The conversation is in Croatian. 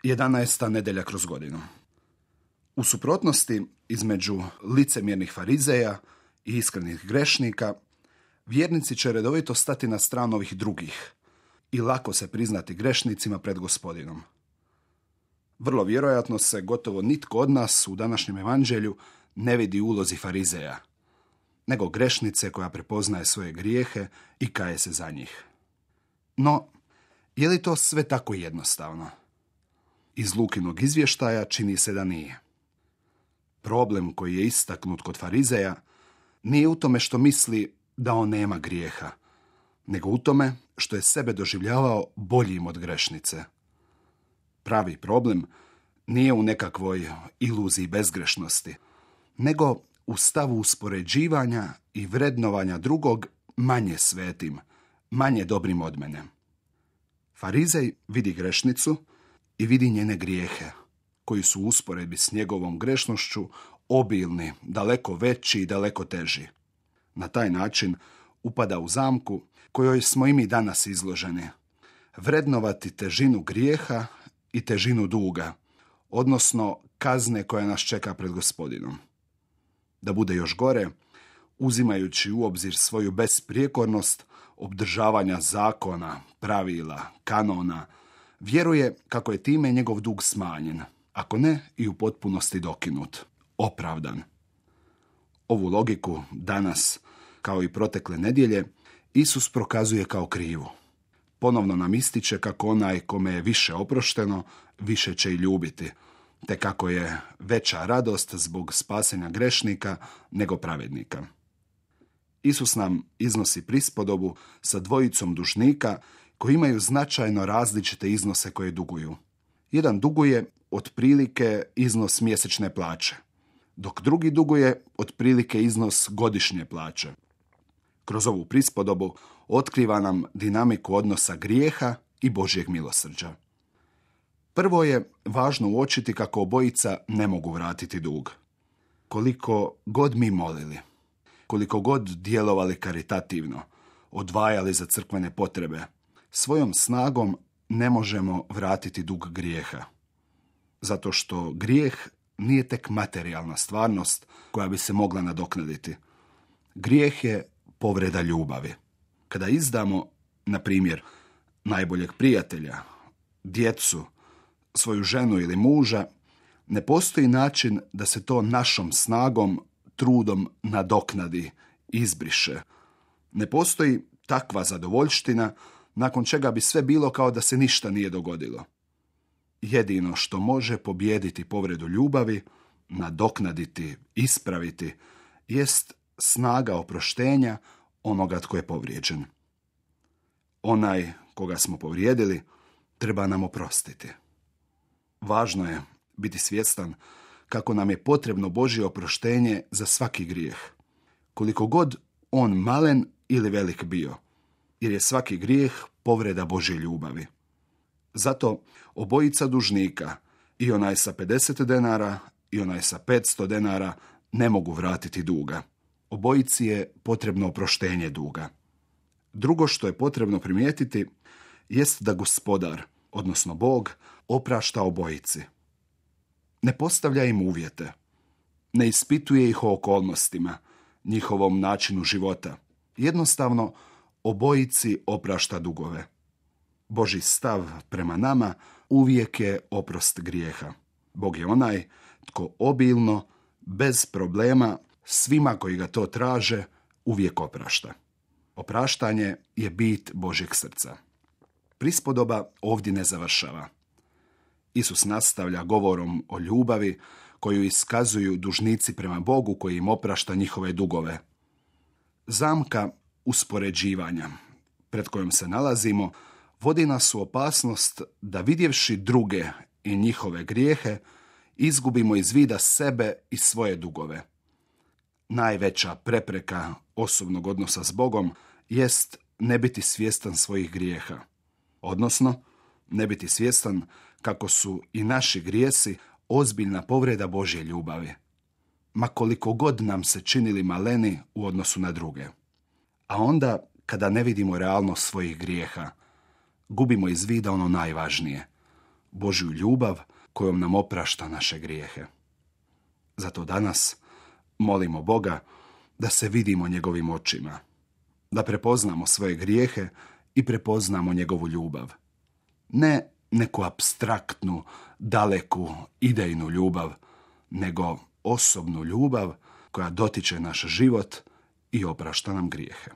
11. nedjelja kroz godinu. U suprotnosti između licemjernih farizeja i iskrenih grešnika, vjernici će redovito stati na stranu ovih drugih i lako se priznati grešnicima pred Gospodinom. Vrlo vjerojatno se gotovo nitko od nas u današnjem evanđelju ne vidi u ulozi farizeja, nego grešnice koja prepoznaje svoje grijehe i kaje se za njih. No, je li to sve tako jednostavno? Iz Lukinog izvještaja čini se da nije. Problem koji je istaknut kod farizeja nije u tome što misli da on nema grijeha, nego u tome što je sebe doživljavao boljim od grešnice. Pravi problem nije u nekakvoj iluziji bezgrešnosti, nego u stavu uspoređivanja i vrednovanja drugog manje svetim, manje dobrim od mene. Farizej vidi grešnicu i vidi njene grijehe, koji su u usporedbi s njegovom grešnošću obilni, daleko veći i daleko teži. Na taj način upada u zamku kojoj smo i mi danas izloženi. Vrednovati težinu grijeha i težinu duga, odnosno kazne koja nas čeka pred Gospodinom. Da bude još gore, uzimajući u obzir svoju besprijekornost obdržavanja zakona, pravila, kanona, vjeruje kako je time njegov dug smanjen, ako ne i u potpunosti dokinut, opravdan. Ovu logiku danas, kao i protekle nedjelje, Isus prokazuje kao krivu. Ponovno nam ističe kako onaj kome je više oprošteno, više će i ljubiti, te kako je veća radost zbog spasenja grešnika nego pravednika. Isus nam iznosi prispodobu sa dvojicom dužnika koji imaju značajno različite iznose koje duguju. Jedan duguje otprilike iznos mjesečne plaće, dok drugi duguje otprilike iznos godišnje plaće. Kroz ovu prispodobu otkriva nam dinamiku odnosa grijeha i Božjeg milosrđa. Prvo je važno uočiti kako obojica ne mogu vratiti dug. Koliko god mi molili, koliko god djelovali karitativno, odvajali za crkvene potrebe, svojom snagom ne možemo vratiti dug grijeha. Zato što grijeh nije tek materijalna stvarnost koja bi se mogla nadoknaditi. Grijeh je povreda ljubavi. Kada izdamo, na primjer, najboljeg prijatelja, djecu, svoju ženu ili muža, ne postoji način da se to našom snagom, trudom nadoknadi, izbriše. Ne postoji takva zadovoljština nakon čega bi sve bilo kao da se ništa nije dogodilo. Jedino što može pobijediti povredu ljubavi, nadoknaditi, ispraviti, jest snaga oproštenja onoga tko je povrijeđen. Onaj koga smo povrijedili treba nam oprostiti. Važno je biti svjestan kako nam je potrebno Božje oproštenje za svaki grijeh, koliko god on malen ili velik bio, jer je svaki grijeh povreda Božje ljubavi. Zato obojica dužnika, i onaj sa 50 denara i onaj sa 500 denara, ne mogu vratiti duga. Obojici je potrebno oproštenje duga. Drugo što je potrebno primijetiti jest da Gospodar, odnosno Bog, oprašta obojici. Ne postavlja im uvjete, ne ispituje ih o okolnostima, njihovom načinu života. Jednostavno, obojici oprašta dugove. Božji stav prema nama uvijek je oprost grijeha. Bog je onaj tko obilno, bez problema, svima koji ga to traže, uvijek oprašta. Opraštanje je bit Božjeg srca. Prispodoba ovdje ne završava. Isus nastavlja govorom o ljubavi koju iskazuju dužnici prema Bogu koji im oprašta njihove dugove. Zamka uspoređivanja pred kojom se nalazimo vodi nas u opasnost da vidjevši druge i njihove grijehe izgubimo iz vida sebe i svoje dugove. Najveća prepreka osobnog odnosa s Bogom jest ne biti svjestan svojih grijeha, odnosno ne biti svjestan kako su i naši grijesi ozbiljna povreda Božje ljubavi, ma koliko god nam se činili maleni u odnosu na druge. A onda, kada ne vidimo realnost svojih grijeha, gubimo iz vida ono najvažnije, Božju ljubav kojom nam oprašta naše grijehe. Zato danas molimo Boga da se vidimo njegovim očima, da prepoznamo svoje grijehe i prepoznamo njegovu ljubav. Ne neku apstraktnu, daleku, idejnu ljubav, nego osobnu ljubav koja dotiče naš život i oprašta nam grijehe.